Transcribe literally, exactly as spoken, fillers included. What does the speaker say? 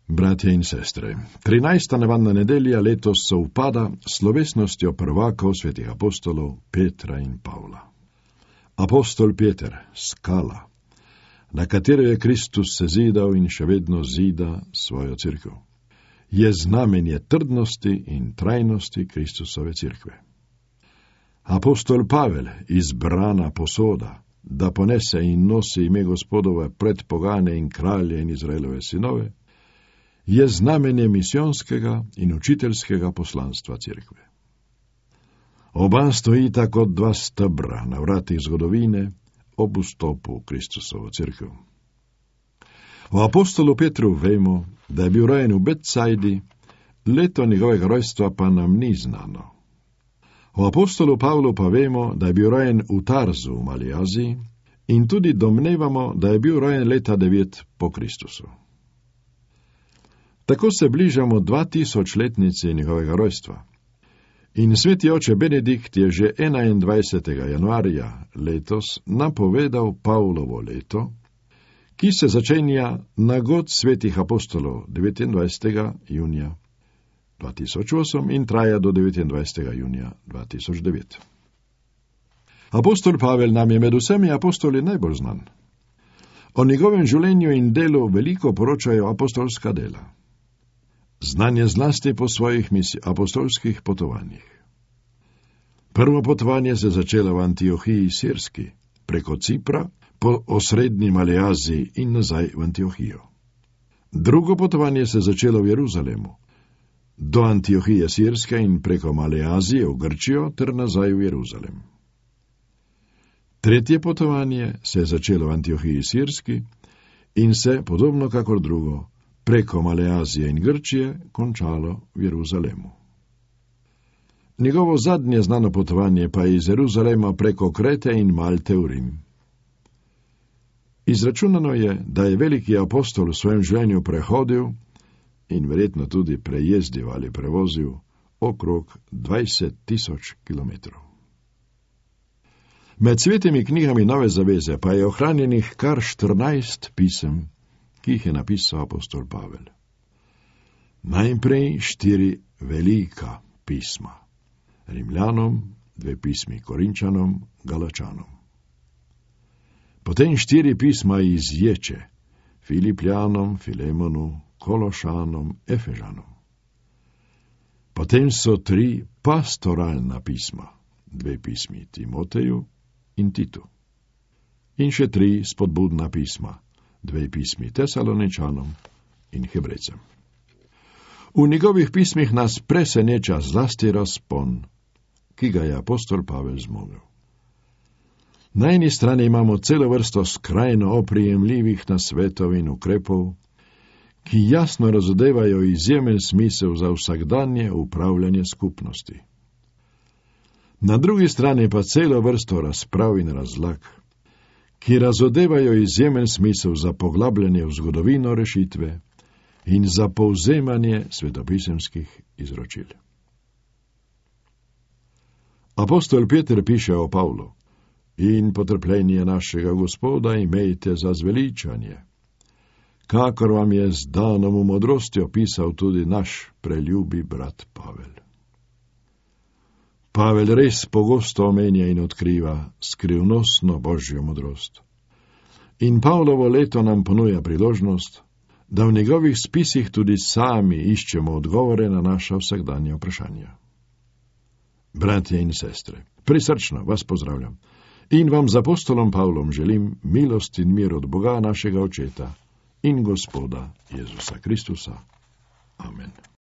Bratje in sestre, trinajsta nevarna nedelja letos sovpada s slovesnostjo prvakov svetih apostolov Petra in Pavla. Apostol Peter, skala, na katero je Kristus sezidal in še vedno zida svojo cerkev, je znamenje trdnosti in trajnosti Kristusove cerkve. Apostol Pavel, izbrana posoda, da ponese in nosi ime Gospodove pred pogane in kralje in Izraelove sinove, je znamenje misijonskega in učiteljskega poslanstva cerkve. Oba stojita kot dva stebra na vratih zgodovine ob vstopu v Kristusovo cerkev. O apostolu Petru vemo, da je bil rojen v Betsajdi, leto njegovega rojstva pa nam ni znano. O apostolu Pavlu pa vemo, da je bil rojen v Tarzu v Mali Aziji in tudi domnevamo, da je bil rojen leta devet po Kristusu. Tako se bližamo dvatisočletnici njegovega rojstva. In sveti oče Benedikt je že enaindvajsetega januarja letos napovedal Pavlovo leto, ki se začenja na god svetih apostolov devetindvajsetega junija dva tisoč osem in traja do devetindvajsetega junija dva tisoč devet. Apostol Pavel nam je med vsemi apostoli najbolj znan. O njegovem življenju in delu veliko poročajo apostolska dela. Znan je zlasti po svojih apostolskih potovanjih. Prvo potovanje se začelo v Antiohiji Sirski, preko Cipra, po osrednji Mali Aziji in nazaj v Antiohijo. Drugo potovanje se začelo v Jeruzalemu, do Antiohije Sirske in preko Mali Azije v Grčijo ter nazaj v Jeruzalem. Tretje potovanje se je začelo v Antiohiji Sirski in se, podobno kakor drugo, preko Male Azije in Grčije končalo v Jeruzalemu. Njegovo zadnje znano potovanje pa je iz Jeruzalema preko Krete in Malte v Rim. Izračunano je, da je veliki apostol v svojem življenju prehodil in verjetno tudi prejezdil ali prevozil okrog dvajset tisoč kilometrov. Med svetimi knjigami Nove zaveze pa je ohranjenih kar štirinajst pisem, ki jih je napisal apostol Pavel. Najprej štiri velika pisma. Rimljanom, dve pismi Korinčanom, Galačanom. Potem štiri pisma iz Ječe, Filipljanom, Filemonu, Kološanom, Efežanom. Potem so tri pastoralna pisma, dve pismi Timoteju in Titu. In še tri spodbudna pisma, dve pismi Tesaloničanom in Hebrejcem. V njegovih pismih nas preseneča zlasti razpon, ki ga je apostol Pavel zmogel. Na eni strani imamo celo vrsto skrajno oprijemljivih nasvetov in ukrepov, ki jasno razodevajo izjemen smisel za vsakdanje upravljanje skupnosti. Na drugi strani pa celo vrsto razprav in razlag, ki razodevajo izjemen smisel za poglabljanje v zgodovino rešitve in za povzemanje svetopisemskih izročil. Apostol Peter piše o Pavlu: in potrpljenje našega Gospoda imejte za zveličanje, kakor vam je z danom v modrosti opisal tudi naš preljubi brat Pavel. Pavel res pogosto omenja in odkriva skrivnostno božjo modrost. In Pavlovo leto nam ponuja priložnost, da v njegovih spisih tudi sami iščemo odgovore na naša vsakdanja vprašanja. Bratje in sestre, prisrčno vas pozdravljam in vam z apostolom Pavlom želim milost in mir od Boga našega Očeta in Gospoda Jezusa Kristusa. Amen.